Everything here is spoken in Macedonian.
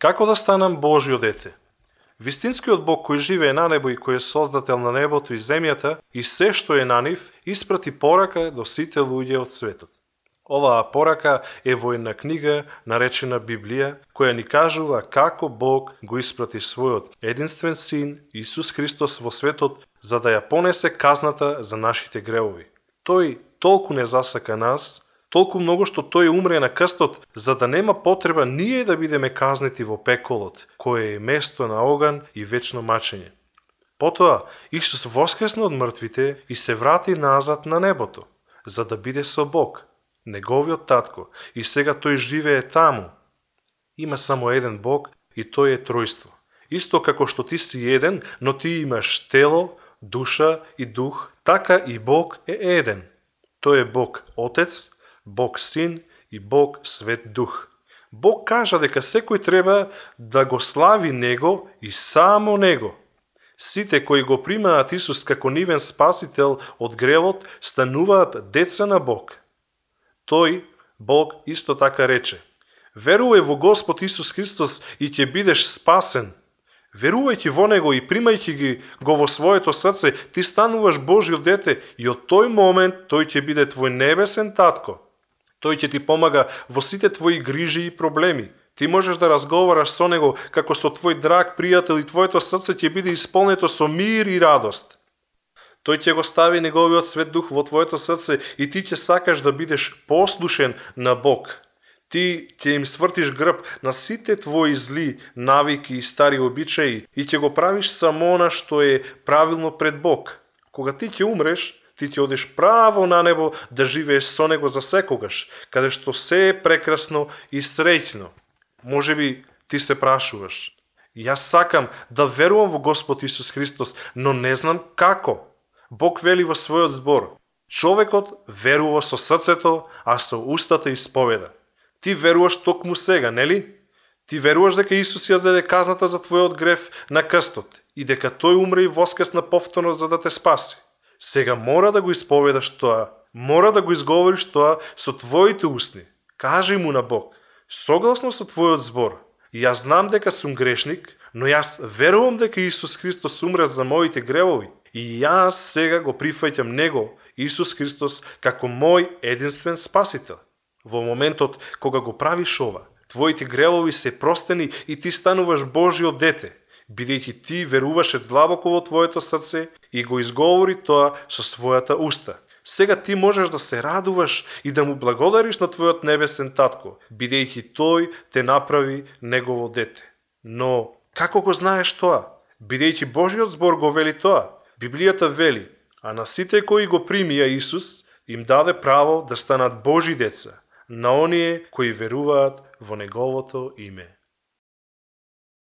Како да станам Божјо дете? Вистинскиот Бог кој живее на небо и кој е создател на небото и земјата и се што е на нив, испрати порака до сите луѓе од светот. Оваа порака е во една книга наречена Библија, која ни кажува како Бог го испрати својот единствен син Исус Христос во светот за да ја понесе казната за нашите гревови. Тој толку не засака нас, толку многу што тој умре на крстот, за да нема потреба ние да бидеме казнети во пеколот, кое е место на оган и вечно мачење. Потоа, Исус воскресна од мртвите и се врати назад на небото, за да биде со Бог, неговиот татко, и сега тој живее таму. Има само еден Бог и тој е тројство. Исто како што ти си еден, но ти имаш тело, душа и дух, така и Бог е еден. Тој е Бог Отец, Бог Син и Бог Свет Дух. Бог кажа дека секој треба да го слави Него и само Него. Сите кои го примаат Исус како нивен спасител од гревот стануваат деца на Бог. Тој, Бог, исто така рече: верувај во Господ Исус Христос и ќе бидеш спасен. Верувајќи во Него и примајќи го во своето срце, ти стануваш Божјо дете и од тој момент тој ќе биде твој небесен татко. Тој ќе ти помага во сите твои грижи и проблеми. Ти можеш да разговараш со Него како со твој драг пријател и твоето срце ќе биде исполнето со мир и радост. Тој ќе го стави Неговиот Свет Дух во твоето срце и ти ќе сакаш да бидеш послушен на Бог. Ти ќе им свртиш грб на сите твои зли навики и стари обичаи и ќе го правиш само она што е правилно пред Бог. Кога ти ќе умреш, ти ќе одиш право на небо да живееш со Него за секогаш, каде што се е прекрасно и среќно. Можеби ти се прашуваш: јас сакам да верувам во Господ Исус Христос, но не знам како. Бог вели во својот збор: човекот верува со срцето, а со устата исповеда. Ти веруваш токму сега, нели? Ти веруваш дека Исус ја зеде казната за твојот грев на крстот и дека тој умре и воскресна повторно за да те спаси. Сега мора да го исповедаш тоа, мора да го изговориш тоа со твоите устни. Кажи му на Бог: согласно со твојот збор, јас знам дека сум грешник, но јас верувам дека Исус Христос умре за моите гревови и јас сега го прифаќам Него, Исус Христос, како мој единствен спасител. Во моментот кога го правиш ова, твоите гревови се простени и ти стануваш Божјо дете, бидејќи ти веруваше длабоко во твоето срце и го изговори тоа со својата уста. Сега ти можеш да се радуваш и да му благодариш на твојот небесен татко, бидејќи тој те направи негово дете. Но како го знаеш тоа? Бидејќи Божјиот збор го вели тоа. Библијата вели: а на сите кои го примија Исус, им даде право да станат Божји деца, на оние кои веруваат во Неговото име.